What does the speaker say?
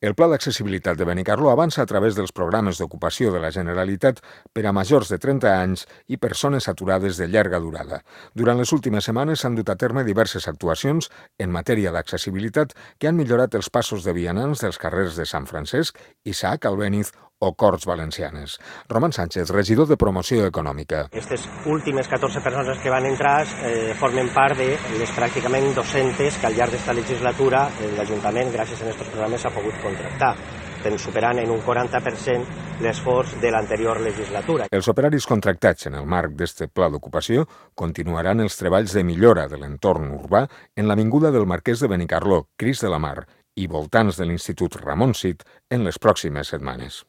El Pla d'Accessibilitat de Benicarló avança a través dels programes d'ocupació de la Generalitat per a majors de 30 anys i persones aturades de llarga durada. Durant les últimes setmanes s'han dut a terme diverses actuacions en matèria d'accessibilitat que han millorat els passos de vianants dels carrers de Sant Francesc, Isaac Albéniz o Corts Valencianes. Roman Sánchez, regidor de Promoció Econòmica. Aquestes últimes 14 persones que van entrar formen part de les pràcticament 200 que al llarg d'esta legislatura l'Ajuntament, gràcies a aquests programes, ha pogut contractar, superant en un 40% l'esforç de l'anterior legislatura. Els operaris contractats en el marc d'este pla d'ocupació continuaran els treballs de millora de l'entorn urbà en l'avinguda del Marquès de Benicarló, Cris de la Mar i voltants de l'Institut Ramon Cid en les pròximes setmanes.